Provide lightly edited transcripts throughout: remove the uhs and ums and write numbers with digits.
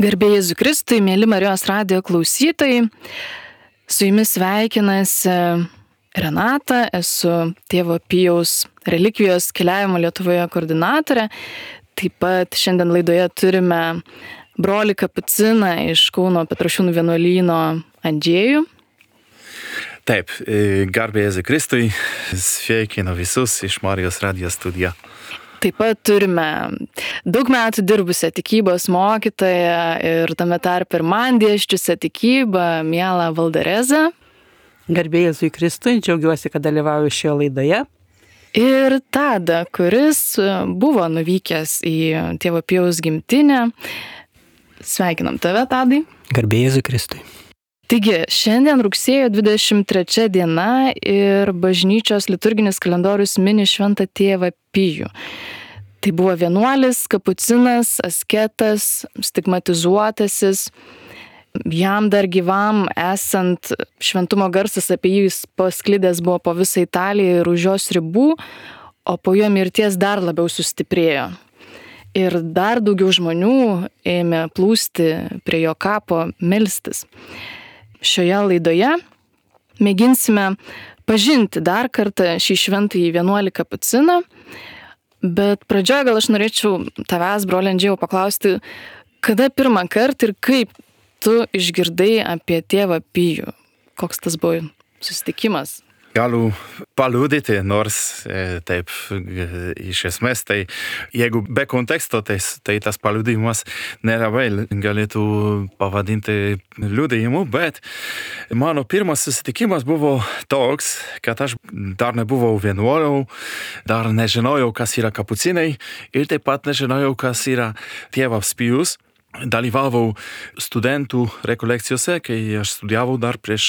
Garbė Jėzui Kristui, mėly Marijos radijo klausytojai, su jumis sveikinasi Renata, esu tėvo Pijaus relikvijos keliavimo Lietuvoje koordinatorė. Taip pat šiandien laidoje turime brolį Kapuciną iš Kauno Petrašiūnų vienuolyno Andžėjų. Taip, garbė Jėzui Kristui, sveikinu visus iš Marijos radijo studiją. Taip pat turime daug metų dirbusią tikybos mokytoją ir tame tarpe ir man dėsčiusią tikybą, mielą Valderezą. Garbė Jėzui Kristui, džiaugiuosi, kad dalyvauju šioje laidoje. Ir Tadą, kuris buvo nuvykęs į tėvo Pijaus gimtinę. Sveikinam tave, Tadai. Garbė Jėzui Kristui. Taigi, šiandien rugsėjo 23 diena ir bažnyčios liturginis kalendorius mini šventą tėvą Pijų. Tai buvo vienuolis, kapucinas, asketas, stigmatizuotasis. Jam dar gyvam esant šventumo garsas apie jį pasklidęs buvo po visą Italiją ir už jos ribų, o po jo mirties dar labiau sustiprėjo. Ir dar daugiau žmonių ėmė plūsti prie jo kapo melstis. Šioje laidoje mėginsime pažinti dar kartą šį šventąjį vienuolį Kapuciną, bet pradžioje gal aš norėčiau tavęs, broli Andžėjau, paklausti, kada pirmą kartą ir kaip tu išgirdai apie tėvą Pijų? Koks tas buvo susitikimas? Galiu paliudyti, nors taip iš esmės, tai jeigu be konteksto, tai tas paliudimas nelabai galėtų pavadinti liudijimu, bet mano pirmas susitikimas buvo toks, kad aš dar nebuvau vienuoliu, dar nežinojau, kas yra kapucinai ir taip pat nežinojau, kas yra tėvas Pijus. Dalyvavau studentų rekolekcijose, kai aš studijavau dar prieš,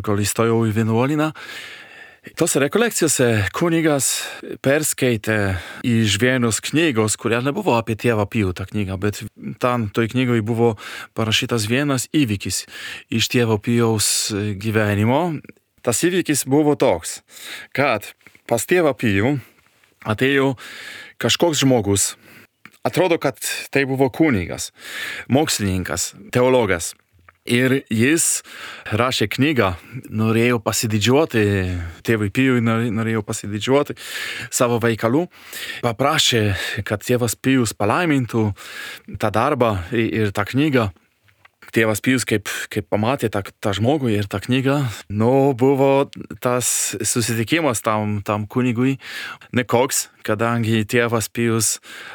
kol įstojau į vienuolyną. Tose rekolekcijose kunigas perskaitė iš vienos knygos, kuria nebuvo apie tėvą Pijų tą knygą, bet tam toj knygoje buvo parašytas vienas įvykis iš tėvo Pijaus gyvenimo. Tas įvykis buvo toks, kad pas tėvą Pijų atėjo kažkoks žmogus. Atrodo, kad tai buvo kunigas, mokslininkas, teologas. Ir jis rašė knygą, norėjo pasididžiuoti, tėvui Pijui norėjo pasididžiuoti savo veikalų. Paprašė, kad tėvas Pijus palaimintų tą darbą ir tą knygą. Tėvas Pijus, kaip pamatė tą žmogų ir tą knygą, buvo tas susitikimas tam kunigui nekoks, kadangi tėvas Pijus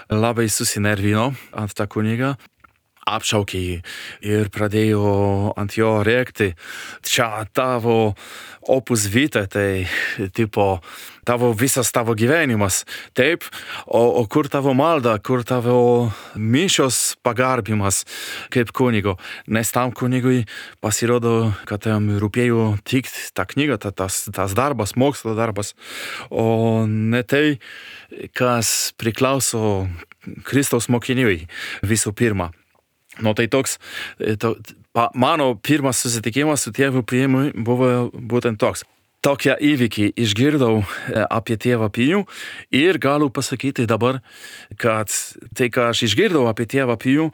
labai susinervino ant tą kunigą, apšaukė jį ir pradėjo ant jo rėkti. Čia tavo opus vitae, tai tipo visas tavo gyvenimas, taip, o kur tavo malda, kur tavo mišios pagarbimas kaip kunigo. Nes tam kunigui pasirodo, kad jam rūpėjo tik ta knyga, tas darbas, mokslo darbas, o ne tai, kas priklauso Kristaus mokiniui visų pirma. Tai toks, mano pirmas susitikimas su tėvu Pijumi buvo būtent toks. Tokią įvykį išgirdau apie tėvą Pijų ir galiu pasakyti dabar, kad tai, ką aš išgirdau apie tėvą Pijų,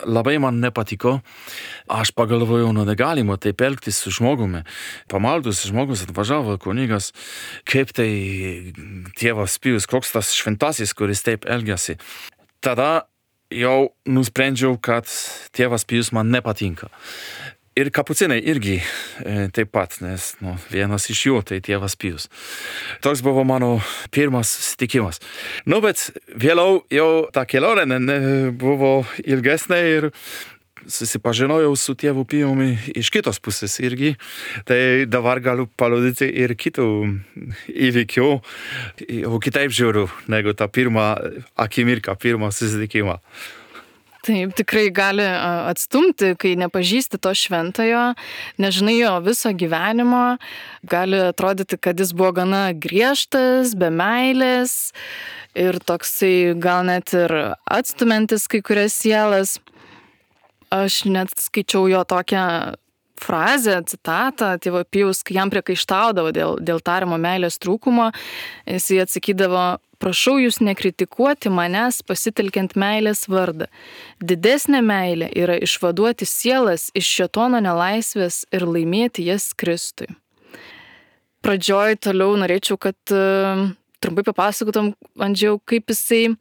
labai man nepatiko. Aš pagalvojau, negalima taip elgtis su žmogumi. Pamaldus žmogus atvažiavo kunigas, kaip tai tėvas Pijus, koks tas šventasis, kuris taip elgiasi. Tada jau nusprendžiau, kad tėvas Pijus man nepatinka. Ir kapucinai irgi taip pat, nes vienas iš jų tai tėvas Pijus. Toks buvo mano pirmas susitikimas. Bet vėliau jau ta kelionė buvo ilgesnė ir susipažinojau su tėvu Pijumi iš kitos pusės irgi. Tai dabar galiu paliudyti ir kitų įvykių, o kitaip žiūriu negu tą pirmą akimirką, pirmą susitikimą. Taip, tikrai gali atstumti, kai nepažįsti to šventojo, nežinai jo viso gyvenimo, gali atrodyti, kad jis buvo gana griežtas, be meilės ir toksai gal net ir atstumiantis kai kurias sielas. Aš net skaičiau jo tokią frazę, citatą tėvo Pijaus, kai jam priekaištaudavo dėl tariamo meilės trūkumo, jis atsakydavo: prašau jūs nekritikuoti manęs pasitelkiant meilės vardą. Didesnė meilė yra išvaduoti sielas iš šėtono nelaisvės ir laimėti jas Kristui. Pradžioj toliau norėčiau, kad trumpai papasakotum, Andžejau, kaip jisai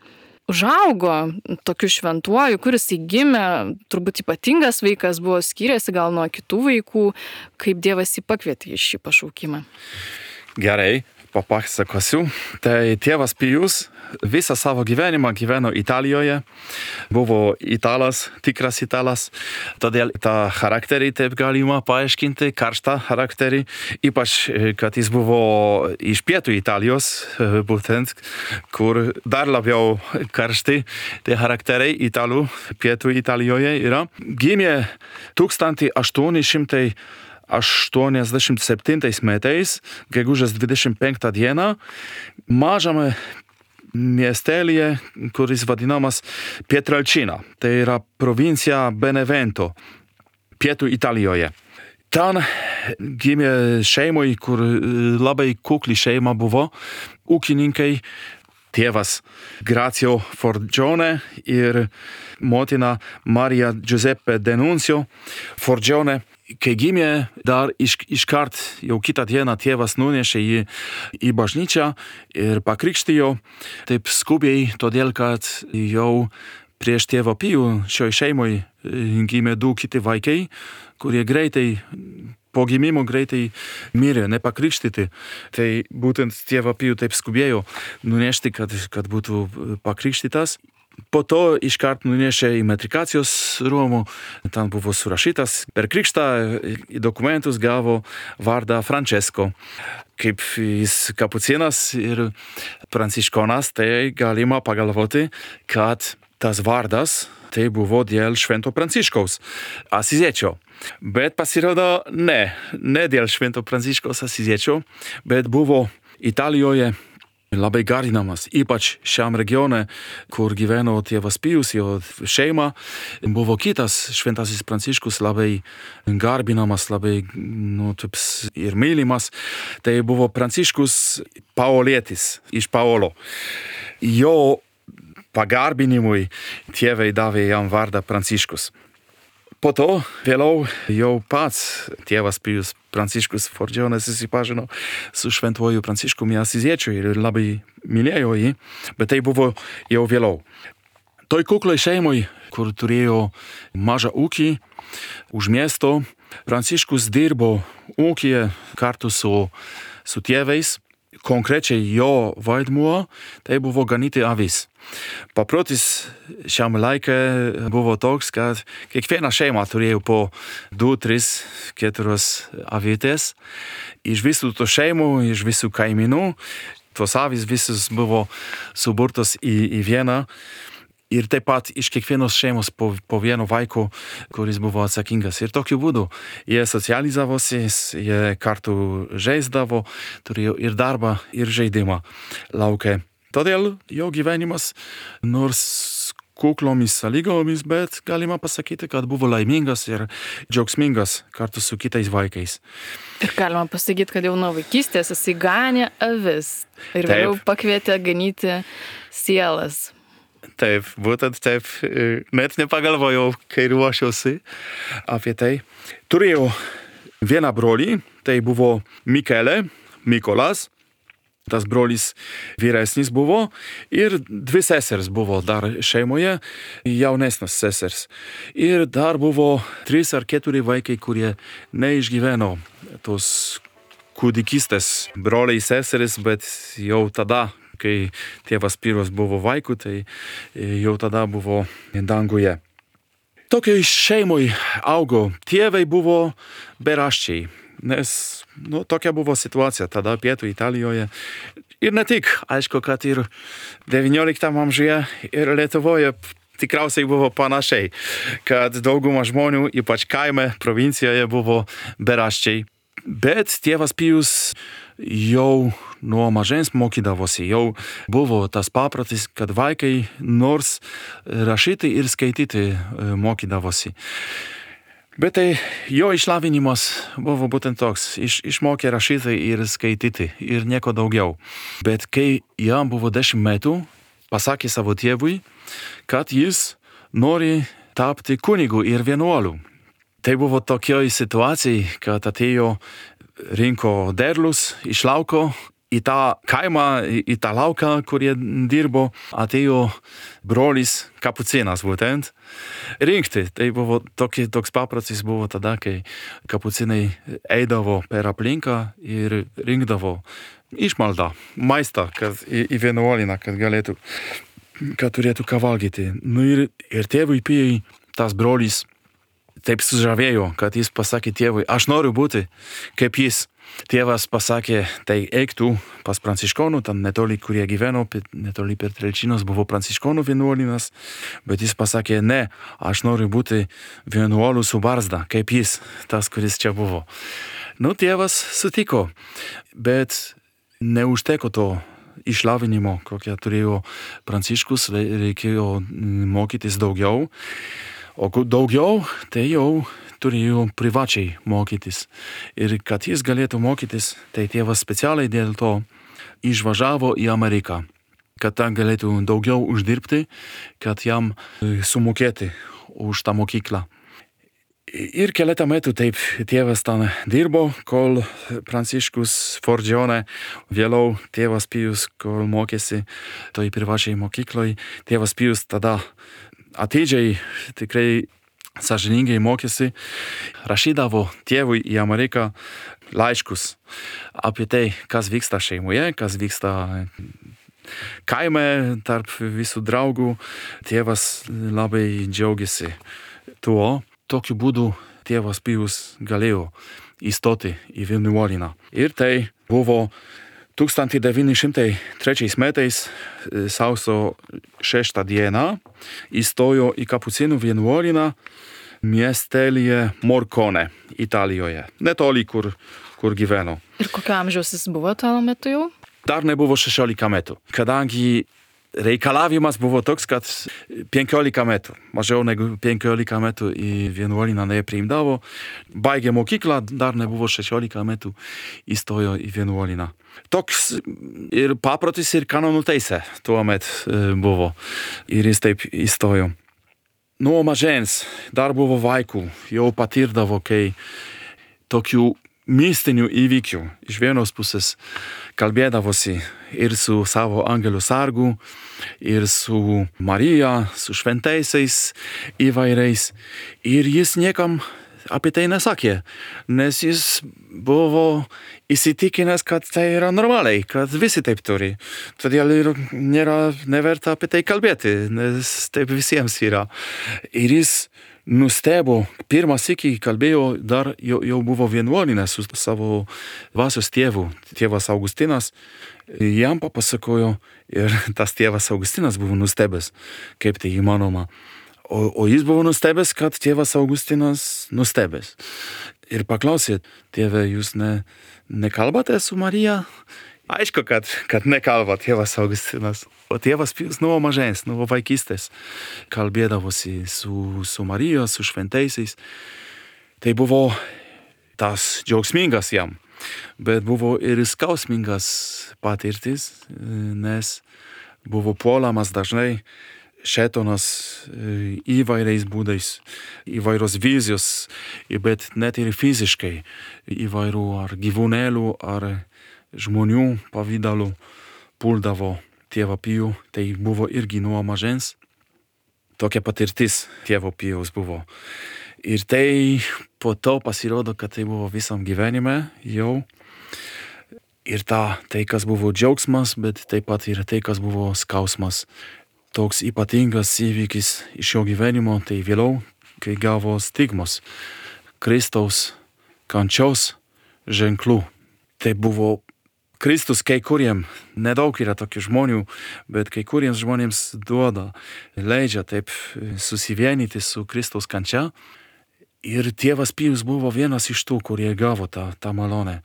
užaugo tokiu šventuoju, kur jisai gimė, turbūt ypatingas vaikas buvo, skyrėsi gal nuo kitų vaikų, kaip Dievas jį pakvietė į šį pašaukimą. Gerai, papasakosiu. Tai tėvas Pijus visą savo gyvenimą gyveno Italijoje, buvo italas, tikras italas, todėl tą charakterį taip galima paaiškinti, karštą charakterį, ypač kad jis buvo iš pietų Italijos, būtent, kur dar labiau karšti tie charakteriai italų pietų Italijoje yra. Gimė 1887 metais, gegužės 25 dieną, mažame miestelyje, kuris vadinamas Pietrelcina. Tai yra provincija Benevento, pietų Italijoje. Ten gimė šeimoj, kur labai kukli šeima buvo, ūkininkai, tėvas Grazio Forgione ir motina Marija Giuseppe Denuncio Forgione. Kai gimė, dar iškart jau kitą dieną tėvas nunešė jį į bažnyčią ir pakrikštijo taip skubiai, todėl kad jau prieš tėvą Pijų šioj šeimoj gimė 2 kiti vaikai, kurie po gimimo greitai mirė, nepakrikštyti. Tai būtent tėvą Pijų taip skubėjo nunešti, kad būtų pakrikštytas. Po to iškart nunešė į metrikacijos rūmų, ten buvo surašytas. Per krikštą į dokumentus gavo vardą Francesco. Kaip jis kapucinas ir pranciškonas, tai galima pagalvoti, kad tas vardas tai buvo dėl Švento Pranciškaus Asiziečio. Bet pasirodo ne dėl Švento Pranciškaus Asiziečio, bet buvo Italijoje labai garbinamas, ypač šiam regione, kur gyveno tėvas Pijus, jo šeima, buvo kitas Šventasis Pranciškus labai garbinamas, labai ir mylimas. Tai buvo Pranciškus Paolietis iš Paolo. Jo pagarbinimui tėvai davė jam vardą Pranciškus. Po to vėliau jau pats tėvas Pijus Pranciškus Forgione susipažino su šventuoju Pranciškumi Asiziečiu ir labai mylėjo jį, bet tai buvo jau vėliau. Toj kuklai šeimoj, kur turėjo mažą ūkį už miesto, Pranciškus dirbo ūkyje kartu su tėvais. Konkrečiai jo vaidmuo tai buvo ganyti avis. Paprotis šiam laikė buvo toks, kad kiekviena šeima turėjo po 2, 3, 4 avytės. Iš visų to šeimų, iš visų kaimynų, tos avis visus buvo suburtos į vieną. Ir taip pat iš kiekvienos šeimos po vieno vaiko, kuris buvo atsakingas. Ir tokiu būdu jie socializavosi, jie kartu žaisdavo, turėjo ir darbą, ir žaidimą lauke. Todėl jo gyvenimas, nors kuklomis sąlygomis, bet galima pasakyti, kad buvo laimingas ir džiaugsmingas kartu su kitais vaikais. Ir galima pasakyti, kad jau nuo vaikystės jisai ganė avis ir vėliau pakvietė ganyti sielas. Taip, būtent taip, net nepagalvojau, kai ruošiausi apie tai. Turėjau vieną brolį, tai buvo Mykolas, tas brolis vyresnis buvo, ir 2 sesers buvo dar šeimoje, jaunesnės sesers. Ir dar buvo 3 ar 4 vaikai, kurie neišgyveno tos kūdikystės broliai seseris, bet jau tada, kai tėvas Pijus buvo vaikų, tai jau tada buvo danguje. Tokioj šeimoj augo, tėvai buvo beraščiai, nes tokia buvo situacija tada pietų Italijoje. Ir ne tik, aišku, kad ir 19 amžiuje ir Lietuvoje tikriausiai buvo panašiai, kad dauguma žmonių, ypač kaime, provincijoje, buvo beraščiai. Bet tėvas Pijus jau nuo mažens mokydavosi, jau buvo tas paprotis, kad vaikai nors rašyti ir skaityti mokydavosi. Bet tai jo išlavinimas buvo būtent toks, išmokė rašyti ir skaityti ir nieko daugiau. Bet kai jam buvo 10 metų, pasakė savo tėvui, kad jis nori tapti kunigu ir vienuoliu. Tai buvo tokioj situacijai, kad atėjo rinko derlius iš lauko, į tą kaimą, į tą lauką, kur jie dirbo, atėjo brolis kapucinas būtent rinkti. Tai buvo toks paprastas buvo tada, kai kapucinai eidavo per aplinką ir rinkdavo išmaldą, maistą, kad į vienuolyną, kad turėtų ką valgyti. Nu ir tėvui Pijui tas brolis taip sužavėjo, kad jis pasakė tėvui, aš noriu būti kaip jis. Tėvas pasakė, tai eik tu pas pranciškonų, ten netoli, kurie gyveno, netoli per Trelčinos buvo pranciškonų vienuolynas, bet jis pasakė, ne, aš noriu būti vienuoliu su barzda, kaip jis, tas, kuris čia buvo. Nu, tėvas sutiko, bet neužteko to išlavinimo, kokią turėjo Pranciškus, reikėjo mokytis daugiau, o daugiau, tai jau turėjo privačiai mokytis. Ir kad jis galėtų mokytis, tai tėvas specialiai dėl to išvažiavo į Ameriką, kad ten galėtų daugiau uždirbti, kad jam sumokėti už tą mokyklą. Ir keletą metų taip tėvas ten dirbo, kol Pranciškus Forgione, vėliau tėvas Pijus, kol mokėsi toj privačiai mokykloj, tėvas Pijus tada atidžiai tikrai sąžiningai mokėsi, rašydavo tėvui į Ameriką laiškus apie tai, kas vyksta šeimoje, kas vyksta kaime tarp visų draugų. Tėvas labai džiaugiasi tuo. Tokiu būdu tėvas Pijus galėjo įstoti į vienuolyną. Ir tai buvo 1903 metais sausio 6 dieną įstojo į kapucinų vienuolyną miestelyje Morcone, Italijoje, netoli kur gyveno. Ir kokio amžiaus jis buvo tuo metu jau? Dar nebuvo 16 metų, kadangi reikalavimas buvo toks, kad 15 metų, mažiau negu 15 metų į vienuolyną nepriimdavo, baigė mokyklą, dar nebuvo 16 metų, įstojo į vienuolyną. Toks ir paprotis, ir kanonų teisė tuomet buvo, ir jis taip įstojo. Nuo mažens dar buvo vaikų, jau patirdavo, kai tokių mistinių įvykių iš vienos pusės kalbėdavosi ir su savo angelių sargu, ir su Marija, su šventaisiais įvairiais. Ir jis niekam apie tai nesakė, nes jis buvo įsitikinęs, kad tai yra normaliai, kad visi taip turi. Todėl ir nėra neverta apie tai kalbėti, nes taip visiems yra. Ir jis nustebo, pirmą sykį kalbėjo, dar jau buvo vienuolyne su savo dvasios tėvu, tėvas Augustinas. Jam papasakojo ir tas tėvas Augustinas buvo nustebęs, kaip tai įmanoma. O jis buvo nustebęs, kad tėvas Augustinas nustebęs. Ir paklausė, tėve, jūs nekalbate su Marija? Aišku, kad nekalba tėvas Augustinas. O tėvas Pijus nuo mažens, nuo vaikystės kalbėdavosi su Marija, su šventaisiais. Tai buvo tas džiaugsmingas jam, bet buvo ir skausmingas patirtis, nes buvo puolamas dažnai šėtonas įvairiais būdais, įvairios vizijos, bet net ir fiziškai įvairių ar gyvūnėlių, ar žmonių pavydalų puldavo tėvą Pijų. Tai buvo irgi nuo mažens. Tokia patirtis tėvo Pijaus buvo. Ir tai po to pasirodo, kad tai buvo visam gyvenime jau. Ir tai, kas buvo džiaugsmas, bet taip pat ir tai, kas buvo skausmas. Toks ypatingas įvykis iš jo gyvenimo, tai vėliau, kai gavo stigmos Kristaus kančios ženklų. Tai buvo Kristus kai kuriem, nedaug yra tokių žmonių, bet kai kuriems žmonėms duoda, leidžia taip susivienyti su Kristaus kančia. Ir tėvas Pijus buvo vienas iš tų, kurie gavo tą malonę.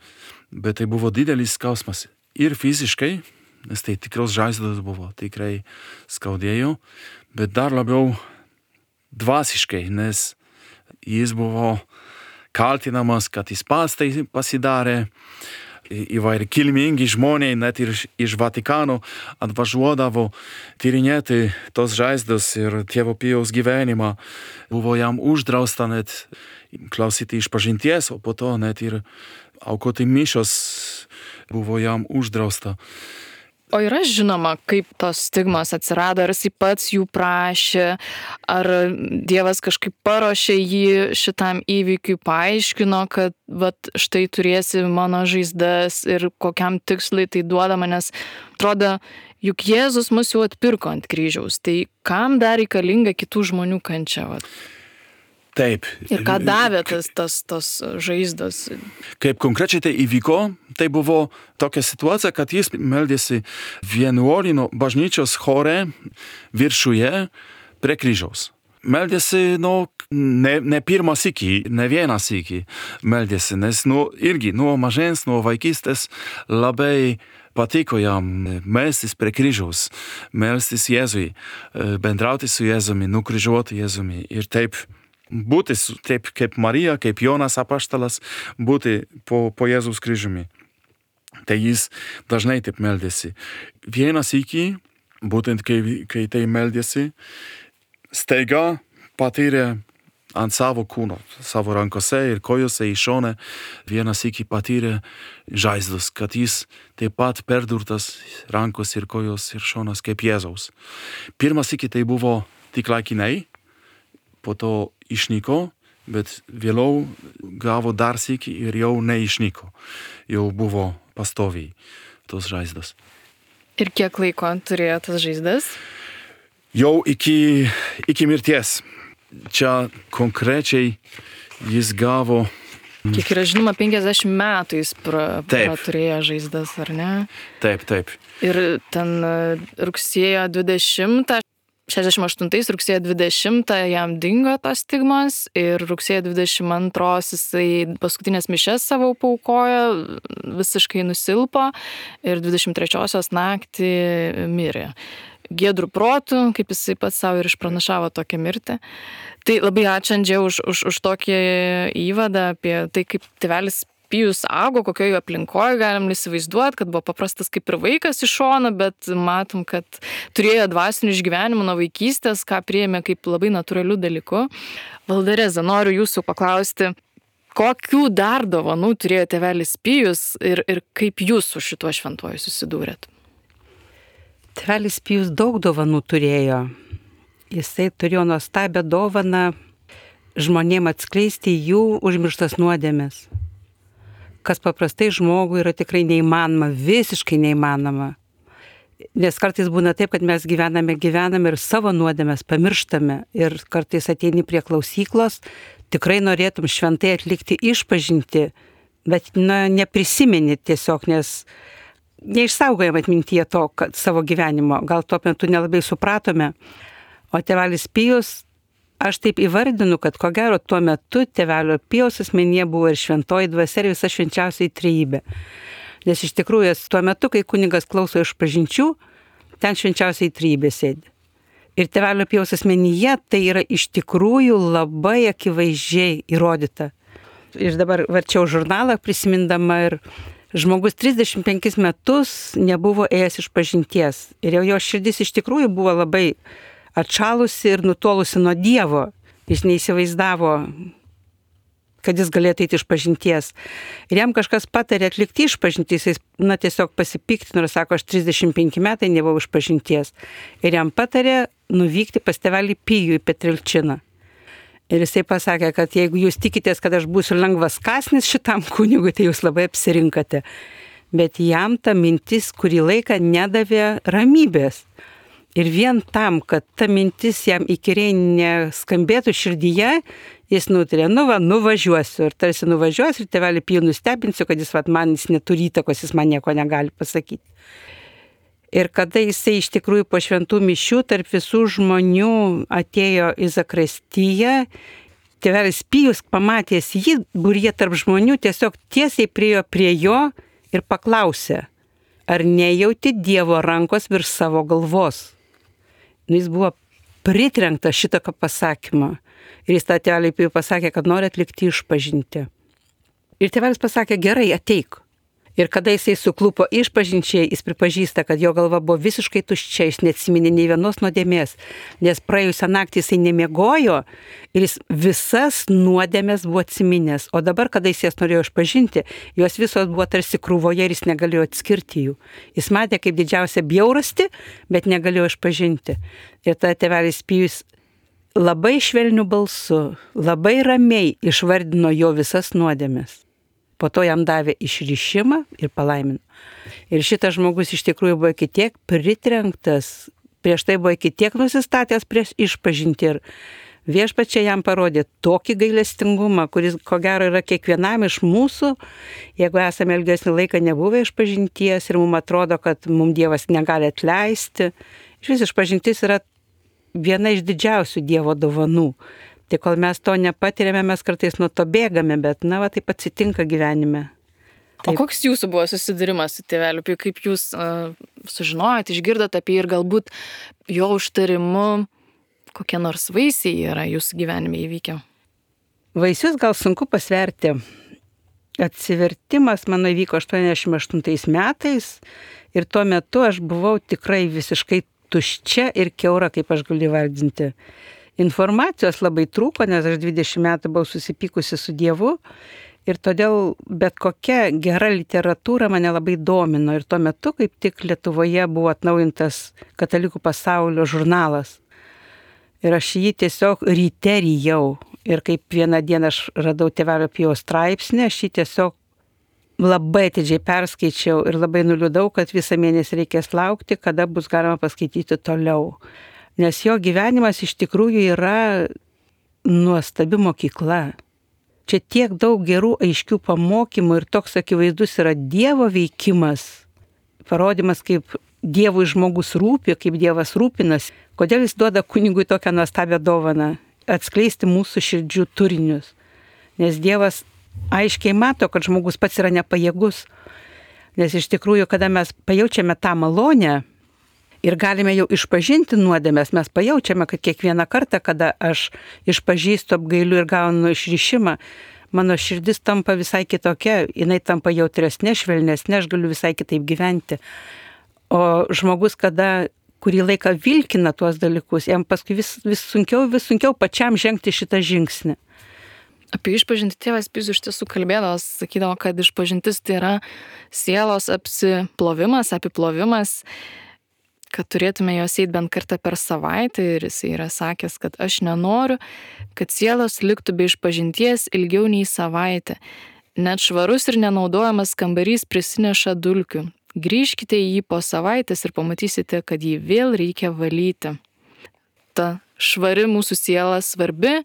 Bet tai buvo didelis skausmas ir fiziškai, nes tai tikros žaizdos buvo, tikrai skaudėjo, bet dar labiau dvasiškai, nes jis buvo kaltinamas, kad jis pats tai pasidarė. Įvairi kilmingi žmonės, net ir iš Vatikano atvažiuodavo tyrinėti tos žaizdos ir tėvo Pijaus gyvenimą. Buvo jam uždrausta net klausyti išpažinties, o po to net ir aukoti mišios buvo jam uždrausta. O yra žinoma, kaip tos stigmos atsirado, ar jis pats jų prašė, ar Dievas kažkaip paruošė jį šitam įvykiui, paaiškino, kad štai turėsi mano žaizdas ir kokiam tikslui tai duodama, nes atrodo, juk Jėzus mus jau atpirko ant kryžiaus, tai kam dar reikalinga kitų žmonių kančia? Taip. Ir ką davė tas žaizdos? Kaip konkrečiai tai įvyko, tai buvo tokia situacija, kad jis meldėsi vienuolino bažnyčios chore viršuje prie kryžiaus. Meldėsi, ne pirmą sykį, ne vieną sykį meldėsi, nes irgi nuo mažens, nuo vaikystės labai patiko jam melstis prie kryžiaus, melstis Jėzui, bendrauti su Jėzumi, nukryžiuoti Jėzumi ir taip būti taip kaip Marija, kaip Jonas apaštalas, būti po Jėzaus kryžiumi. Tai jis dažnai taip meldėsi. Vieną sykį, būtent kai tai meldėsi, staiga patyrė ant savo kūno, savo rankose ir kojose į šoną, vieną sykį patyrė žaizdas, kad jis taip pat perdurtas rankos ir kojos ir šonas kaip Jėzaus. Pirmą sykį tai buvo tik laikinai, po to išnyko, bet vėliau gavo dar sykį ir jau neišnyko. Jau buvo pastoviai tos žaizdos. Ir kiek laiko turėjo tas žaizdas? Jau iki mirties. Čia konkrečiai jis gavo... Kiek yra žinoma, 50 metų jis turėjo žaizdas, ar ne? Taip. Ir ten rugsėjo 20... 68 rugsėjo 20 jam dingo tos stigmos ir rugsėjo 22 jisai paskutinės mišias savo paaukojo, visiškai nusilpo ir 23-osios naktį mirė. Giedrų protų, kaip jisai pats savo ir išpranašavo tokią mirtį. Tai labai ačiū Andžė už tokį įvadą apie tai, kaip tėvelis Pijus augo, kokioje aplinkoje galim įsivaizduoti, kad buvo paprastas kaip ir vaikas iš šono, bet matom, kad turėjo dvasinių išgyvenimų nuo vaikystės, ką priėmė kaip labai natūralių dalykų. Valdereza, noriu jūsų paklausti, kokių dar dovanų turėjo tėvelis Pijus ir kaip jūs su šituo šventuoju susidūrėt? Tėvelis Pijus daug dovanų turėjo. Jisai turėjo nuostabią dovaną žmonėm atskleisti jų užmirštas nuodėmes. Kas paprastai žmogui yra tikrai neįmanoma, visiškai neįmanoma. Nes kartais būna taip, kad mes gyvename ir savo nuodėmes pamirštame ir kartais ateini prie klausyklos, tikrai norėtum šventai atlikti išpažinti, bet neprisimeni tiesiog, nes neišsaugojam atmintyje to savo gyvenimo, gal tuo metu nelabai supratome. O tėvelis Pijus, aš taip įvardinu, kad ko gero tuo metu tėvelio Pijaus asmenyje buvo ir šventoji dvasia ir visa švenčiausioji trejybė. Nes iš tikrųjų tuo metu, kai kunigas klauso išpažinčių, ten švenčiausioji trejybė sėdi. Ir tėvelio Pijaus asmenyje tai yra iš tikrųjų labai akivaizdžiai įrodyta. Ir dabar varčiau žurnalą prisimindama ir žmogus 35 metus nebuvo ėjęs išpažinties. Ir jau jo širdis iš tikrųjų buvo labai atšalusi ir nutolusi nuo Dievo. Jis neįsivaizdavo, kad jis galėtų eiti išpažinties. Ir jam kažkas patarė atlikti išpažinti, jis tiesiog pasipiktino ir sako, aš 35 metai nebuvau išpažinties. Ir jam patarė nuvykti pas tėvelį Pijų į Petrilčiną. Ir jisai pasakė, kad jeigu jūs tikitės, kad aš būsiu lengvas kąsnis šitam kunigui, tai jūs labai apsirinkate. Bet jam ta mintis kurį laiką nedavė ramybės. Ir vien tam, kad ta mintis jam įkyriai neskambėtų širdyje, jis nutarė, nuvažiuosiu. Ir tarsi nuvažiuosiu ir tėvelį Pijų nustebinsiu, kad jis neturi įtakos, jis man nieko negali pasakyti. Ir kada jisai iš tikrųjų po šventų mišių tarp visų žmonių atėjo į zakristiją, tėvelis Pijus pamatęs jį būryje tarp žmonių tiesiog tiesiai priėjo prie jo ir paklausė, ar nejauti Dievo rankos virš savo galvos. Jis buvo pritrenktas šitą pasakymą. Ir jis tą tėveliui Pijui pasakė, kad nori atlikti išpažinti. Ir tėvelis pasakė, gerai, ateik. Ir kada jisai suklupo išpažinčiai, jis pripažįsta, kad jo galva buvo visiškai tuščia, jis neatsiminė nei vienos nuodėmės, nes praėjusią naktį jisai nemiegojo ir jis visas nuodėmės buvo atsiminęs. O dabar, kada jis jas norėjo išpažinti, jos visos buvo tarsi krūvoje ir jis negalėjo atskirti jų. Jis matė kaip didžiausią bjaurastį, bet negalėjo išpažinti. Ir tada tėvelis Pijus labai švelniu balsu, labai ramiai išvardino jo visas nuodėmės. Po to jam davė išrišimą ir palaimino. Ir šitas žmogus iš tikrųjų buvo iki tiek pritrenktas, prieš tai buvo iki tiek nusistatęs prieš išpažinti ir viešpačiai jam parodė tokį gailestingumą, kuris ko gero yra kiekvienam iš mūsų, jeigu esame ilgesnį laiką nebuvę išpažinties ir mums atrodo, kad mums Dievas negali atleisti. Iš išpažintis yra viena iš didžiausių Dievo dovanų. Tai kol mes to nepatiriame, mes kartais nuo to bėgame, bet taip atsitinka gyvenime. Taip. O koks jūsų buvo susidūrimas su tėveliu Piju, kaip jūs sužinojot, išgirdot apie jį ir galbūt jo užtarimu kokie nors vaisiai yra jūsų gyvenime įvykę? Vaisius gal sunku pasverti. Atsivertimas mano įvyko 88 metais ir tuo metu aš buvau tikrai visiškai tuščia ir kiaura, kaip aš galiu vardinti. Informacijos labai trūko, nes aš 20 metų buvau susipykusi su Dievu ir todėl bet kokia gera literatūra mane labai domino. Ir tuo metu, kaip tik Lietuvoje buvo atnaujintas Katalikų pasaulio žurnalas. Ir aš jį tiesiog ryte rijau. Ir kaip vieną dieną aš radau tėvelio Pijaus straipsnį, aš jį tiesiog labai atidžiai perskaičiau ir labai nuliūdau, kad visą mėnesį reikės laukti, kada bus galima paskaityti toliau. Nes jo gyvenimas iš tikrųjų yra nuostabi mokykla. Čia tiek daug gerų, aiškių pamokymų ir toks akivaizdus yra Dievo veikimas, parodimas, kaip Dievui žmogus rūpi, kaip Dievas rūpinas. Kodėl jis duoda kunigui tokią nuostabią dovaną - atskleisti mūsų širdžių turinius. Nes Dievas aiškiai mato, kad žmogus pats yra nepajėgus. Nes iš tikrųjų, kada mes pajaučiame tą malonę, ir galime jau išpažinti nuodėmes, mes pajaučiame, kad kiekvieną kartą, kada aš išpažįstu, apgailiu ir gaunu išrišimą, mano širdis tampa visai kitokia, jinai tampa jautresnė, švelnesnė, aš galiu visai kitaip gyventi. O žmogus, kada kurį laiką vilkina tuos dalykus, jam paskui vis sunkiau pačiam žengti šitą žingsnį. Apie išpažintį tėvas Pijus iš tiesų kalbėdavo, sakydavo, kad išpažintis tai yra sielos apsiplovimas, apiplovimas, kad turėtume jos eiti bent kartą per savaitę ir jis yra sakęs, kad aš nenoriu, kad sielos liktų be išpažinties ilgiau nei savaitę. Net švarus ir nenaudojamas kambarys prisineša dulkių. Grįžkite į jį po savaitės ir pamatysite, kad jį vėl reikia valyti. Ta švari mūsų siela svarbi,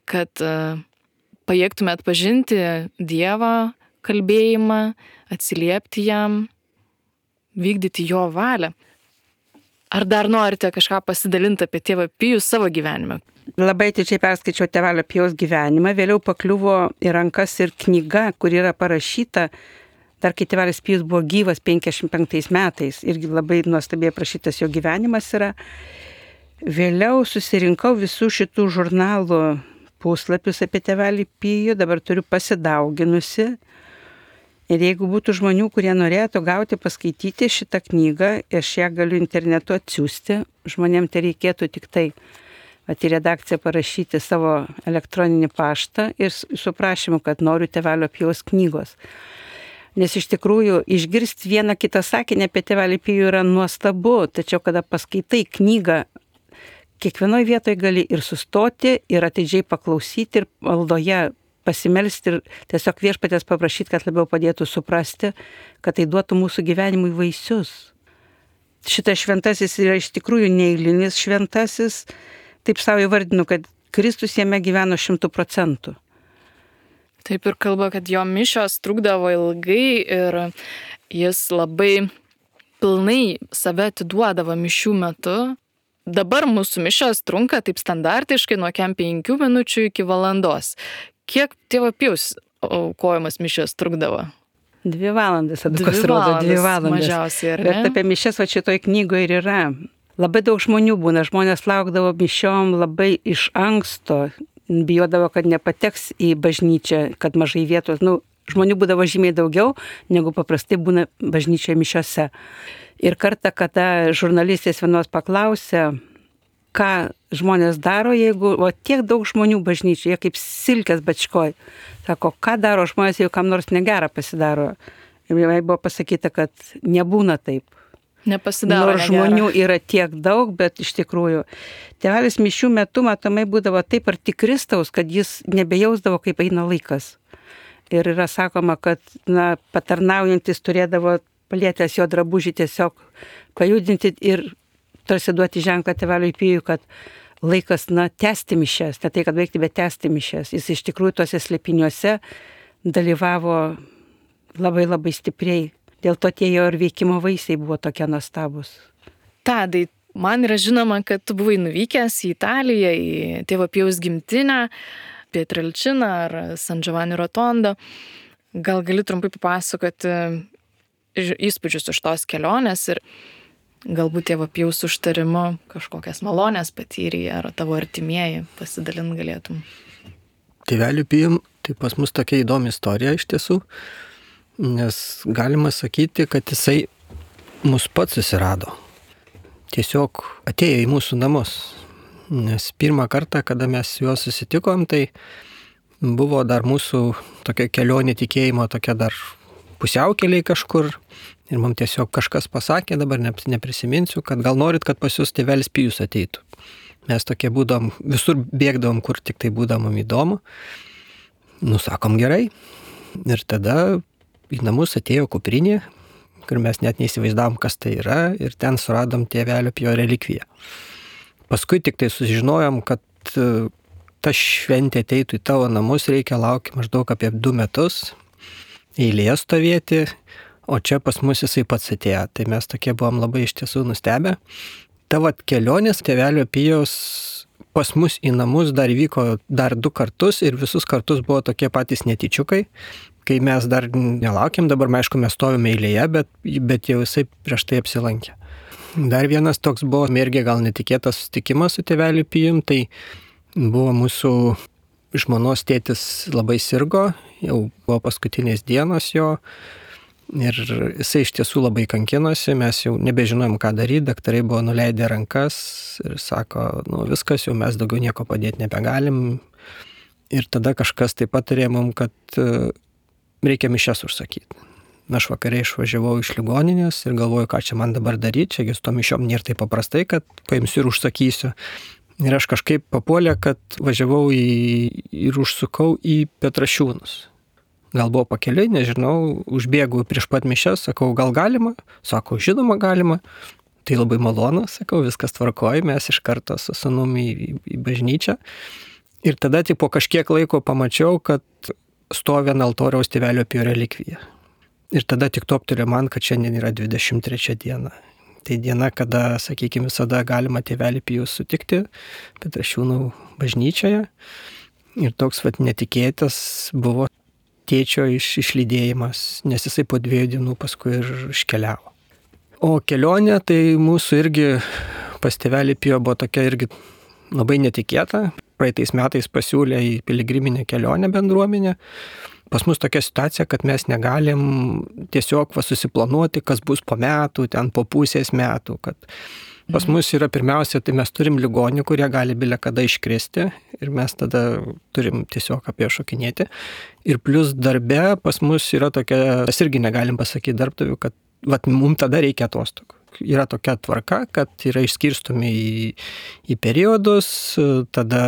kad pajėgtume atpažinti Dievą kalbėjimą, atsiliepti jam, vykdyti jo valią. Ar dar norite kažką pasidalinti apie tėvą Pijų savo gyvenime? Labai atidžiai perskaičiau tėvelio Pijaus gyvenimą, vėliau pakliuvo į rankas ir knyga, kur yra parašyta, dar kai tėvelis Pijus buvo gyvas 55 metais, irgi labai nuostabiai aprašytas jo gyvenimas yra. Vėliau susirinkau visų šitų žurnalų puslapius apie tėvelį Pijų, dabar turiu pasidauginusi. Ir jeigu būtų žmonių, kurie norėtų gauti, paskaityti šitą knygą, aš ją galiu internetu atsiųsti, žmonėms tai reikėtų tik tai į redakciją parašyti savo elektroninį paštą ir su prašymu, kad noriu tėvelio Pijaus knygos. Nes iš tikrųjų išgirsti vieną kitą sakinį apie tėvelį Pijų yra nuostabu, tačiau kada paskaitai knygą, kiekvienoje vietoje gali ir sustoti, ir atidžiai paklausyti, ir maldoje pasimelsti ir tiesiog viešpaties paprašyti, kad labiau padėtų suprasti, kad tai duotų mūsų gyvenimui vaisius. Šitas šventasis yra iš tikrųjų neeilinis šventasis, taip savo įvardinu, kad Kristus jame gyveno 100%. Taip ir kalba, kad jo mišios trukdavo ilgai ir jis labai pilnai save atiduodavo mišių metu. Dabar mūsų mišios trunka taip standartiškai nuo 5 minučių iki valandos. Kiek tėvo Pijaus aukojamas mišios trukdavo? 2 valandas, kas rodo 2 valandas. Mažiausiai, ar ne? Bet apie mišias šitoj knygoje ir yra. Labai daug žmonių būna, žmonės laukdavo mišiom labai iš anksto, bijodavo, kad nepateks į bažnyčią, kad mažai vietos. Žmonių būdavo žymiai daugiau, negu paprastai būna bažnyčioje mišiose. Ir kartą, kada žurnalistės vienos paklausė, ką žmonės daro, jeigu tiek daug žmonių bažnyčioje, kaip silkės bačkoj. Sako, ką daro žmonės, jeigu kam nors negera pasidaro. Ir jai buvo pasakyta, kad nebūna taip. Nepasidaro. Nors žmonių yra tiek daug, bet iš tikrųjų tėvelis mišių metu matomai būdavo taip arti Kristaus, kad jis nebejausdavo, kaip eina laikas. Ir yra sakoma, kad patarnaujantis turėdavo palietęs jo drabužį tiesiog pajudinti ir tarsi duoti ženklą tėveliui Pijui, kad laikas tęsti mišias, ne tai, kad veikti, bet tęsti mišias. Jis iš tikrųjų tuose slėpiniuose dalyvavo labai labai stipriai. Dėl to tie jo ir veikimo vaisiai buvo tokie nuostabus. Tadai, man yra žinoma, kad tu buvai nuvykęs į Italiją, į tėvo Pijaus gimtinę, Pietrelčiną ar San Giovanni Rotondo. Gal gali trumpai papasakoti įspūdžius iš tos kelionės ir galbūt tėvo Pijaus užtarimu kažkokias malonės patyrė ar tavo artimieji pasidalint galėtum. Tėveliu Pijum, tai pas mus tokia įdomi istorija iš tiesų. Nes galima sakyti, kad jisai mus pats susirado. Tiesiog atėjo į mūsų namus. Nes pirmą kartą, kada mes su juo susitikom, tai buvo dar mūsų tokia kelionė tikėjimo, tokia dar pusiaukeliai kažkur. Ir mums tiesiog kažkas pasakė, dabar neprisiminsiu, kad gal norit, kad pas jūs tėvelis Pijus ateitų. Mes tokie būdom, visur bėgdavom, kur tik tai būdom įdomu. Sakom gerai. Ir tada į namus atėjo kuprinė, kur mes net neįsivaizdavom, kas tai yra, ir ten suradom tėvelio Pijo relikviją. Paskui tik tai sužinojom, kad ta šventė ateitų į tavo namus, reikia laukti maždaug apie 2 metus, eilėje stovėti, o čia pas mus jisai pats atėjo. Tai mes tokie buvom labai iš tiesų nustebę. Tavo kelionės tėvelio Pijaus pas mus į namus dar vyko dar 2 kartus ir visus kartus buvo tokie patys netyčiukai. Kai mes dar nelaukiam, dabar aišku mes stovime eilėje, bet jau jisai prieš tai apsilankė. Dar vienas toks buvo mergė gal netikėtas susitikimas su tėveliu Pijum, tai buvo mūsų žmonos tėtis labai sirgo, jau buvo paskutinės dienos jo ir jisai iš tiesų labai kankinosi, mes jau nebežinojom ką daryti, daktarai buvo nuleidę rankas ir sako, viskas, jau mes daugiau nieko padėti nebegalim. Ir tada kažkas taip patarė mum, kad reikia mišias užsakyti. Aš vakare išvažiavau iš ligoninės ir galvoju, ką čia man dabar daryti, čiagi su to mišiom nėra taip paprastai, kad paimsiu ir užsakysiu. Ir aš kažkaip papuolė, kad važiavau ir užsukau į Petrašiūnus. Gal buvo pakeliui, nežinau, užbėgu prieš pat mišias, sakau, gal galima? Sako, žinoma galima. Tai labai malonu, sakau, viskas tvarkoja, mes iš karto su sūnumi į bažnyčią. Ir tada tik po kažkiek laiko pamačiau, kad stovi ant altoriaus tėvelio Pijo relikvija. Ir tada tik toptelė man, kad šiandien yra 23 diena. Tai diena, kada, sakykime, visada galima tėvelį Pijų sutikti Petrašiūnų bažnyčioje. Ir toks netikėtas buvo tėčio išlydėjimas, nes jisai po 2 dienų paskui ir iškeliavo. O kelionė tai mūsų irgi pas tėvelį Pijo buvo tokia irgi labai netikėta. Praeitais metais pasiūlė į piligriminę kelionę bendruomenę. Pas mus tokia situacija, kad mes negalim tiesiog susiplanuoti, kas bus po metų, ten po pusės metų. Kad pas mus yra pirmiausia, tai mes turim ligonių, kurie gali bile kada iškristi ir mes tada turim tiesiog apie šokinėti. Ir plus darbe pas mus yra tokia, mes irgi negalim pasakyti darbdavių, kad mums tada reikia atostogų. Yra tokia tvarka, kad yra išskirstomi į periodus, tada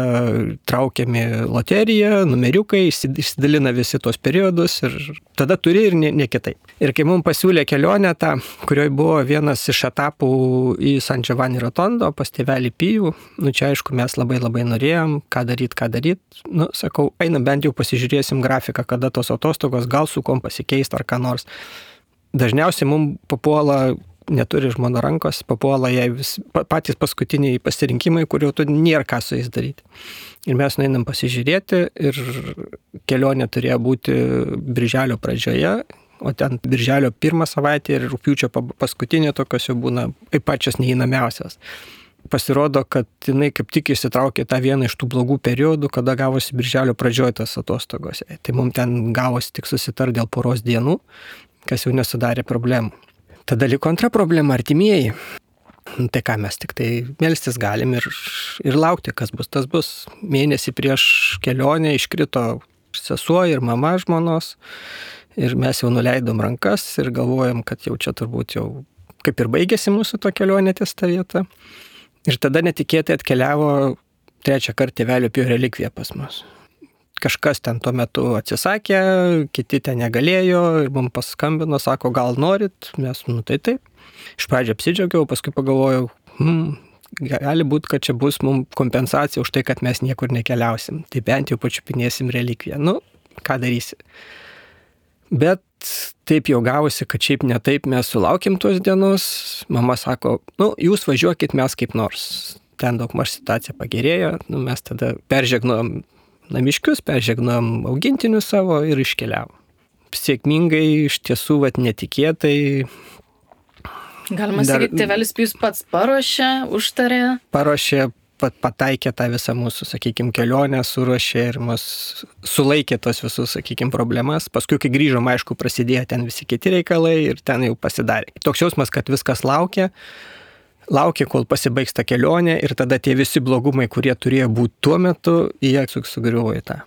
traukiami loterija, numeriukai, išsidalina visi tos periodus ir tada turi ir ne kitaip. Ir kai mums pasiūlė kelionę tą, kurioje buvo vienas iš etapų į San Giovanni Rotondo pas tėvelį Pijų, čia aišku mes labai labai norėjom, ką daryt. Sakau, einam bent jau pasižiūrėsim grafiką, kada tos atostogos, gal su kom pasikeisti ar ką nors. Dažniausiai mums papuola, neturi žmona rankos, papuola jai patys paskutiniai pasirinkimai, kurių tu nėra ką su jais daryti. Ir mes nueinam pasižiūrėti ir kelionė turėjo būti birželio pradžioje, o ten birželio 1 savaitė ir rugpjūčio paskutinė tokios jau būna pačios neįnamiausios. pasirodo, kad jinai kaip tik įsitraukė tą vieną iš tų blogų periodų, kada gavosi birželio pradžioje tas atostogos. Tai mums ten gavosi tik susitar dėl poros dienų, kas jau nesudarė problemų. Tada liko antra problema - artimieji. Tai ką mes tik tai melstis galim ir laukti, kas bus, tas bus. Mėnesį prieš kelionę iškrito sesuo ir mama žmonos ir mes jau nuleidom rankas ir galvojom, kad jau čia turbūt jau kaip ir baigėsi mūsų to kelionė ties ta vieta. Ir tada netikėtai atkeliavo trečią kartą Tėvelio Pio relikvija pas mus. Kažkas ten tuo metu atsisakė, kiti ten negalėjo ir mums paskambino, sako, gal norit, mes, tai taip. Iš pradžio apsidžiaugiau, paskui pagalvojau, gali būti, kad čia bus mums kompensacija už tai, kad mes niekur nekeliausim. Tai bent jau pačiupinėsim relikviją. Ką darysi? Bet taip jau gavosi, kad šiaip ne taip mes sulaukėm tos dienos. Mama sako, jūs važiuokit mes kaip nors. Ten daugmaž situacija pagerėjo. Mes tada peržegnom namiškius, peržegnom augintinius savo ir iškeliavom. Sėkmingai, iš tiesų, netikėtai. Galima sakyti, Tėvelis Pijus pats paruošė, užtarė. Paruošė, pataikė tą visą mūsų, sakykime, kelionę, suruošė ir mus sulaikė tos visus, sakykime, problemas. Paskui, kai grįžom, aišku, prasidėjo ten visi kiti reikalai ir ten jau pasidarė. Toks jausmas, kad viskas laukia, kol pasibaigs ta kelionė ir tada tie visi blogumai, kurie turėjo būti tuo metu, jie sugriuvo į tą.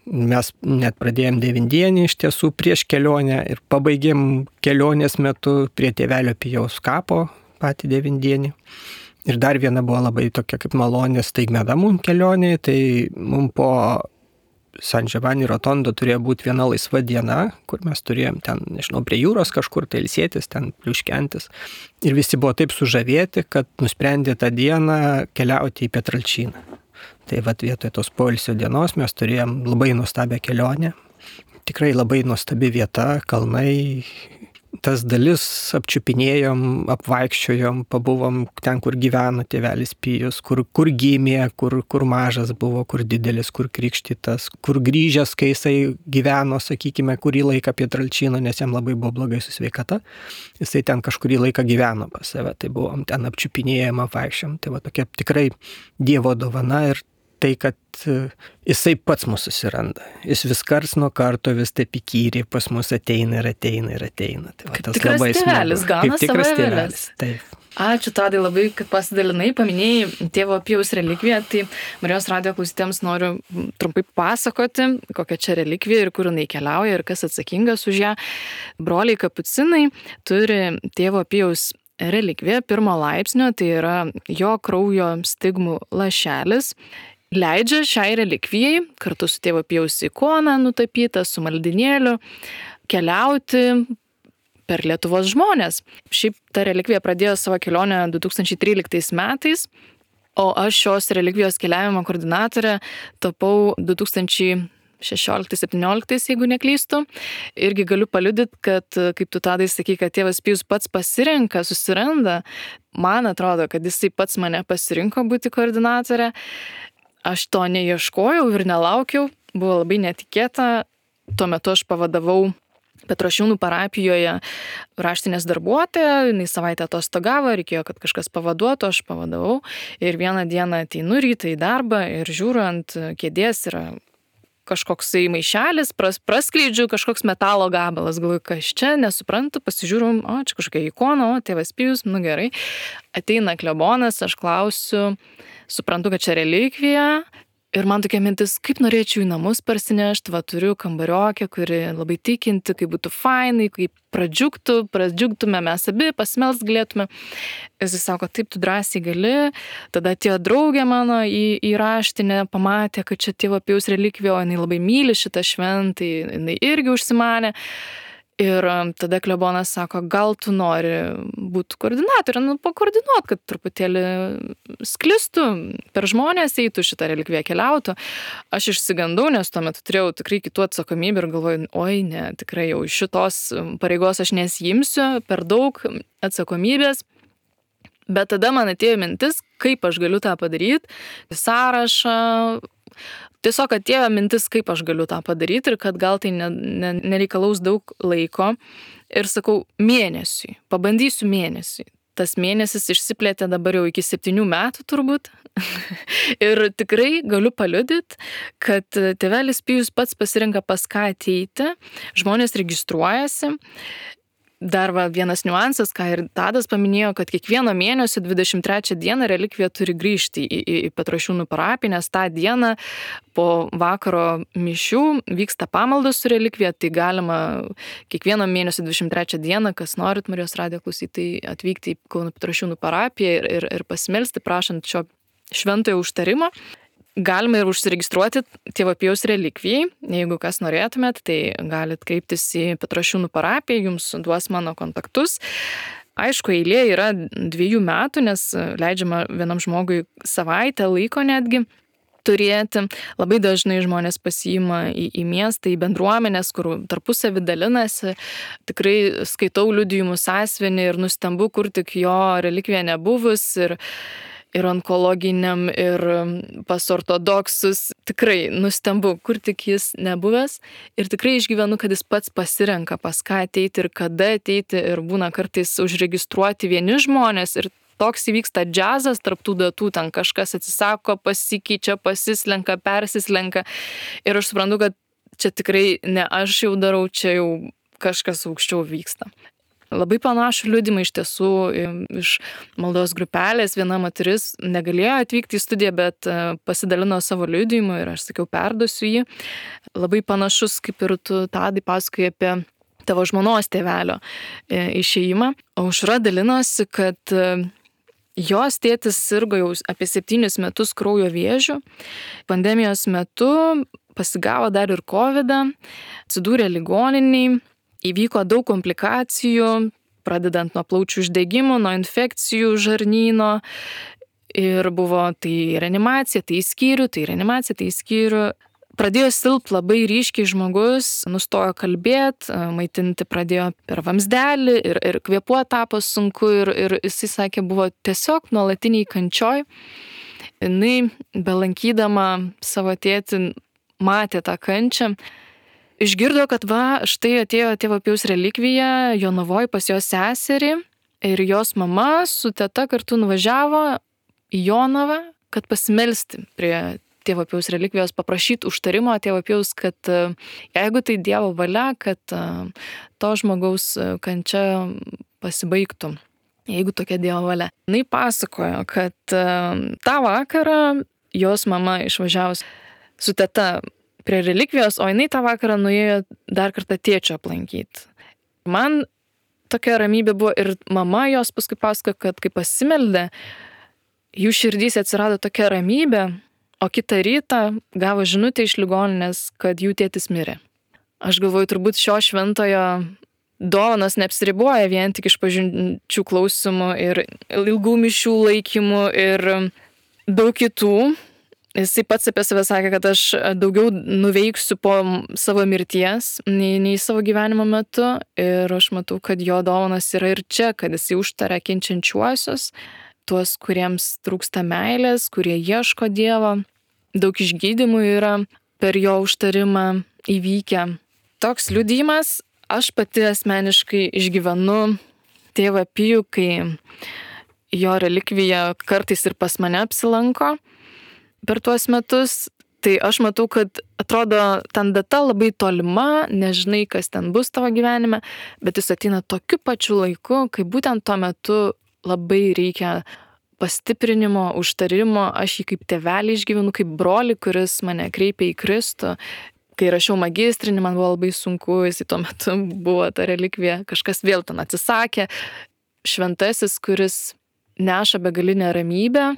Mes net pradėjom 9-dienį iš tiesų prieš kelionę ir pabaigėm kelionės metu prie Tėvelio Pijaus kapo patį 9-dienį. Ir dar viena buvo labai tokia kaip malonė staigmena mums kelionė, tai mums po San Giovanni Rotondo turėjo būti viena laisva diena, kur mes turėjom ten, nežinau, prie jūros kažkur tai ilsėtis, ten pliuškentis. Ir visi buvo taip sužavėti, kad nusprendė tą dieną keliauti į Pietralčiną. Tai vietoj tos poilsio dienos mes turėjom labai nuostabią kelionę. Tikrai labai nuostabi vieta, kalnai. Tas dalis apčiupinėjom, apvaikščiojom, pabuvom ten, kur gyveno Tėvelis Pijus, kur gimė, kur mažas buvo, kur didelis, kur krikštytas, kur grįžęs, kai jisai gyveno, sakykime, kurį laiką Pietralčino, nes jam labai buvo blogai su sveikata. Jisai ten kažkurį laiką gyveno pas save, tai buvom ten apčiupinėjom, apvaikščiojom. Tai tokia tikrai Dievo dovana ir tai, kad jisai pats mūsų susiranda. Jis vis karts nuo karto vis taip įkyriai pas mus ateina ir ateina ir ateina. Tai kaip tikras tėvelis, gauna savo tėvelis. Taip. Ačiū Tadai labai, kad pasidalinai, paminėjai Tėvo Pijaus relikviją. Tai Marijos radijo klausytėms noriu trumpai pasakoti, kokia čia relikvija ir kur jinai keliauja ir kas atsakingas už ją. Broliai kapucinai turi Tėvo Pijaus relikviją 1 laipsnio, tai yra jo kraujo stigmų lašelis. Leidžia šiai relikvijai, kartu su Tėvo Pijaus ikona nutapyta, su maldinėliu, keliauti per Lietuvos žmonės. Šiaip ta relikvija pradėjo savo kelionę 2013 metais, o aš šios relikvijos keliavimo koordinatorė tapau 2016-17, jeigu neklystu. Irgi galiu paliudyti, kad, kaip tu Tadai sakai, kad Tėvas Pijus pats pasirenka, susiranda. Man atrodo, kad jisai pats mane pasirinko būti koordinatorė. Aš to neieškojau ir nelaukiau, buvo labai netikėta. Tuo metu aš pavadavau Petrošiūnų parapijoje raštinės darbuotoją, jinai savaitę atostogavo, reikėjo, kad kažkas pavaduotų, aš pavadavau. Ir vieną dieną ateinu rytą į darbą ir žiūriu ant kėdės yra kažkoksai maišelis, praskleidžiu kažkoks metalo gabalas, galvoju, kas čia, nesuprantu, pasižiūrim, čia kažkokia ikona, Tėvas Pijus, gerai. Ateina klebonas, aš klausiu, suprantu, kad čia relikvija. Ir man tokia mintis, kaip norėčiau į namus parsinešti, turiu kambariokę, kuri labai tikinti, kaip būtų fainai, kaip pradžiugtume, mes abi pasimelst galėtume. Jis sako, taip, tu drąsiai gali. Tada atėjo draugė mano į raštinę, pamatė, kad čia Tėvo Pijaus relikvija, o jinai labai myli šitą šventą, jinai irgi užsimanė. Ir tada klebonas sako, gal tu nori būti koordinatorė, pakoordinuot, kad truputėlį sklistų, per žmonės eitų šitą relikviją keliautų. Aš išsigandau, nes tuo metu turėjau tikrai kitų atsakomybę ir galvoju, oi ne, tikrai jau šitos pareigos aš nesijimsiu, per daug atsakomybės. Bet tada man atėjo mintis, kaip aš galiu tą padaryti, sąrašą. Tiesiog atėjo mintis, kaip aš galiu tą padaryti ir kad gal tai nereikalaus daug laiko. Ir sakau, mėnesiui, pabandysiu mėnesiui. tas mėnesis išsiplėtė dabar jau iki 7 metų turbūt. Ir tikrai galiu paliudyti, kad tėvelis Pijus pats pasirenka pas ką ateiti, žmonės registruojasi. Dar vienas niuansas, ką ir Tadas paminėjo, kad kiekvieno mėnesio 23 dieną relikvija turi grįžti į Petrašiūnų parapiją, nes tą dieną po vakaro mišių vyksta pamaldos su relikvija, tai galima kiekvieno mėnesio 23 dieną, kas norit Marijos radijo klausytojai, atvykti į Kauno Petrašiūnų parapiją ir pasimelsti, prašant šio šventojo užtarimo. Galima ir užsiregistruoti Tėvo Pijaus relikvijai. Jeigu kas norėtumėt, tai galit kreiptis į Petrašiūnų parapiją, jums duos mano kontaktus. Aišku, eilė yra 2 metų, nes leidžiama vienam žmogui savaitę laiko netgi turėti. Labai dažnai žmonės pasiima į miestą, į bendruomenės, kur tarpusavį dalinasi. Tikrai skaitau liudijimus sąsiuvinį ir nustembu, kur tik jo relikvija nebuvus ir onkologiniam, ir pas ortodoksus. Tikrai nustembu, kur tik jis nebuvęs. Ir tikrai išgyvenu, kad jis pats pasirenka, pas ką ateiti ir kada ateiti. Ir būna kartais užregistruoti vieni žmonės. Ir toks įvyksta džiazas tarp tų datų. Ten kažkas atsisako, pasikeičia, pasislenka, persislenka. Ir aš suprantu, kad čia tikrai ne aš jau darau, čia jau kažkas aukščiau vyksta. Labai panašų liudimą iš tiesų iš maldos grupelės. Viena moteris negalėjo atvykti į studiją, bet pasidalino savo liudijimu ir aš sakiau, perduosiu jį. Labai panašus, kaip ir tu, Tadai, pasakoji apie tavo žmonos tėvelio išėjimą. Aušra dalinosi, kad jos tėtis sirgo jau apie 7 metus kraujo vėžiu. Pandemijos metu pasigavo dar ir COVID-ą, atsidūrė ligoniniai. Įvyko daug komplikacijų, pradedant nuo plaučių uždegimų, nuo infekcijų žarnyno. Ir buvo tai reanimacija, tai į skyrių. Pradėjo silpti labai ryškiai žmogus, nustojo kalbėti, maitinti pradėjo per vamzdelį ir kvėpuoti tapo sunku. Ir jisai sakė, buvo tiesiog nuolatiniai kančioj. Jinai, belankydama savo tėtį, matė tą kančią. Išgirdo, kad štai atėjo Tėvo Pijaus relikvija Jonavoj pas jos seserį ir jos mama su teta kartu nuvažiavo į Jonavą, kad pasimelsti prie Tėvo Pijaus relikvijos, paprašyti užtarimo Tėvo Pijaus, kad jeigu tai Dievo valia, kad to žmogaus kančia pasibaigtų, jeigu tokia Dievo valia. Jis pasakojo, kad tą vakarą jos mama išvažiavus su teta prie relikvijos, o jinai tą vakarą nuėjo dar kartą tėčio aplankyti. Man tokia ramybė buvo ir mama jos paskui pasakojo, kad kai pasimeldė, jų širdys atsirado tokia ramybė, o kitą rytą gavo žinutę iš ligoninės, kad jų tėtis mirė. Aš galvoju, turbūt šio šventojo dovanos neapsiriboja vien tik išpažinčių klausimų ir ilgų mišių laikymų ir daug kitų. Jisai pats apie save sakė, kad aš daugiau nuveiksiu po savo mirties nei savo gyvenimo metu. Ir aš matau, kad jo dovanas yra ir čia, kad jisai užtaria kenčiančiuosius, tuos, kuriems trūksta meilės, kurie ieško Dievo. Daug išgydymų yra per jo užtarimą įvykę. Toks liudijimas aš pati asmeniškai išgyvenu Tėvą Pijų, kai jo relikvija kartais ir pas mane apsilanko. Per tuos metus, tai aš matau, kad atrodo ten data labai tolima, nežinai, kas ten bus tavo gyvenime, bet jis ateina tokiu pačiu laiku, kai būtent tuo metu labai reikia pastiprinimo, užtarimo. Aš jį kaip tėvelį išgyvenu, kaip brolį, kuris mane kreipia į Kristų. Kai rašiau magistrinį, man buvo labai sunku, jis tuo metu buvo ta relikvija, kažkas vėl ten atsisakė. Šventasis, kuris neša begalinę ramybę,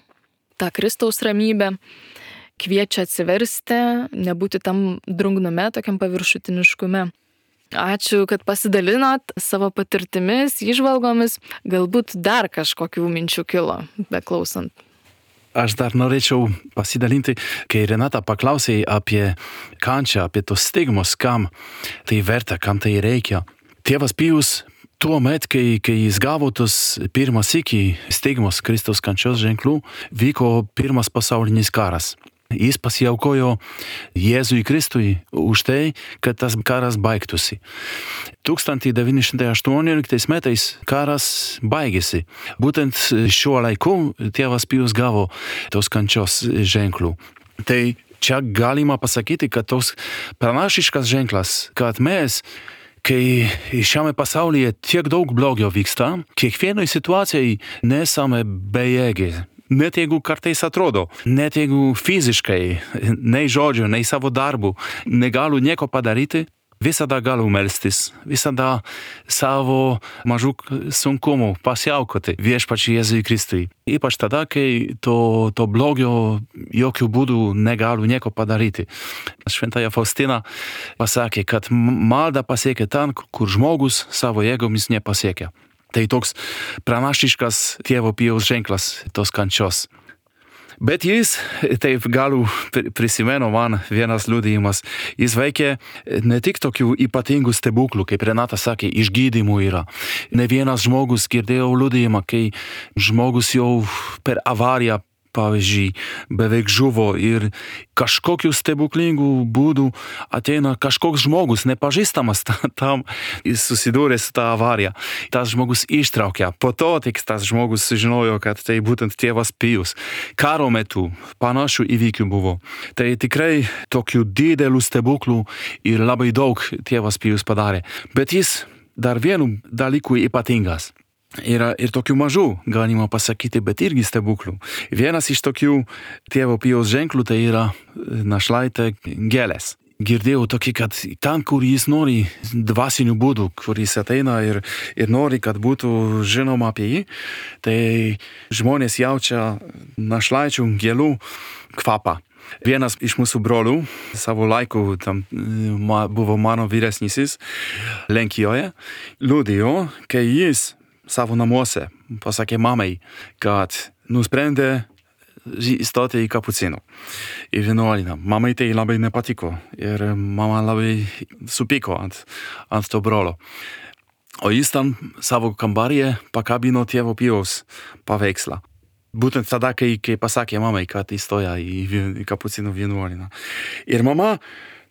tą Kristaus ramybę, kviečia atsiversti, nebūti tam drungnume, tokiam paviršutiniškume. Ačiū, kad pasidalinot savo patirtimis, įžvalgomis, galbūt dar kažkokių minčių kilo, beklausant. Aš dar norėčiau pasidalinti, kai Renata paklausė apie kančią, apie tos stigmos, kam tai verta, kam tai reikia. Tėvas Pijus tuo met, kai jis gavo tos pirmas iki stigmos Kristaus kančios ženklų, vyko pirmas pasaulinis karas. Jis pasiaukojo Jėzui Kristui už tai, kad tas karas baigtųsi. 1918 metais karas baigėsi. Būtent šiuo laiku tėvas Pijus gavo tos kančios ženklų. Tai čia galima pasakyti, kad tos pranašiškas ženklas, kad mes, kai šiame pasaulyje tiek daug blogio vyksta, kiekvienoj situacijai nesame bejėgiai. Net jeigu kartais atrodo, net jeigu fiziškai, nei žodžio, nei savo darbų negaliu nieko padaryti, visada galiu melstis, visada savo mažų sunkumų pasiaukoti viešpačiui Jėzui Kristui. Ypač tada, kai to blogio jokių būdų negaliu nieko padaryti. Šventaja Faustina pasakė, kad malda pasiekia ten, kur žmogus savo jėgomis nepasiekia. Tai toks pranašiškas tėvo Pijaus ženklas tos kančios. Bet jis, taip galiu prisimenu man vienas liudijimas, jis veikė ne tik tokių ypatingų stebuklų, kaip Renata sakė, išgydymų yra. Ne vienas žmogus girdėjo liudijimą, kai žmogus jau per avariją, pavyzdžiui, beveik žuvo ir kažkokių stebuklingų būdų ateina kažkoks žmogus, nepažįstamas tam, jis susidūrė su tą avariją. Tas žmogus ištraukė. Po to tik tas žmogus sužinojo, kad tai būtent tėvas Pijus. Karo metu panašių įvykių buvo. Tai tikrai tokių didelių stebuklų ir labai daug tėvas Pijus padarė. Bet jis dar vienu dalyku ypatingas. Yra ir tokių mažų, galima pasakyti, bet irgi stebuklų. Vienas iš tokių tėvo Pijaus ženklų tai yra našlaitė gėlės. Girdėjau tokį, kad ten, kur jis nori dvasinių būdų, kur jis ateina ir nori, kad būtų žinoma apie jį, tai žmonės jaučia našlaičių gėlių kvapą. Vienas iš mūsų brolių, savo laiku tam buvo mano vyresnysis Lenkijoje, liudijo, kai jis savo namuose pasakė mamai, kad nusprendė įstoti į kapucinų, į vienuolyną. Mamai tai labai nepatiko ir mama labai supyko ant to brolio. O jis tam savo kambaryje pakabino tėvo Pijaus paveikslą. Būtent tada, kai pasakė mamai, kad įstoja į kapucinų vienuolyną. Ir mama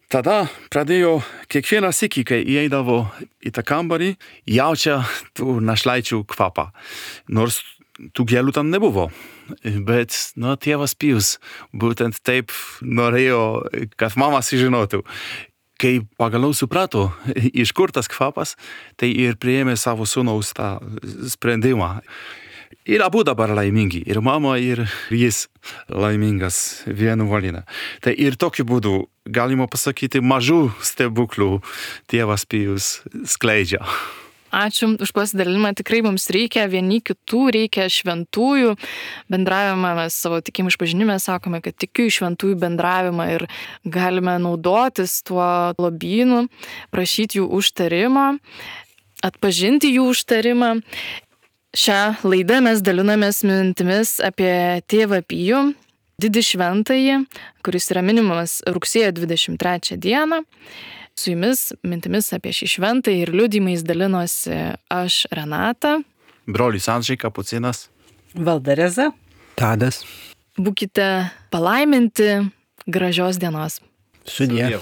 tada pradėjo kiekvieną sykį, kai įeidavo į tą kambarį, jaučia tų našlaičių kvapą. Nors tų gėlių tam nebuvo. Bet, tėvas Pijus būtent taip norėjo, kad mama sužinotų. Kai pagaliau suprato, iš kur tas kvapas, tai ir priėmė savo sūnaus tą sprendimą. Ir abu dabar laimingi, ir mama, ir jis laimingas vienuolyne. Tai ir tokiu būdu, galima pasakyti, mažų stebuklų tėvas Pijus skleidžia. Ačiū už pasidalinimą. Tikrai mums reikia vieni kitų, reikia šventųjų bendravimą. Mes savo tikėjimo išpažinime sakome, kad tikiu į šventųjų bendravimą ir galime naudotis tuo lobynu, prašyti jų užtarimo, atpažinti jų užtarimą. Šią laidą mes dalinamės mintimis apie tėvą Pijų, didį šventąjį, kuris yra minimas rugsėjo 23 dieną. Su jumis mintimis apie šį šventąjį ir liudijimais dalinosi aš, Renata, brolis Andžiai Kapucinas, Valdareza, Tadas. Būkite palaiminti, gražios dienos. Sudie.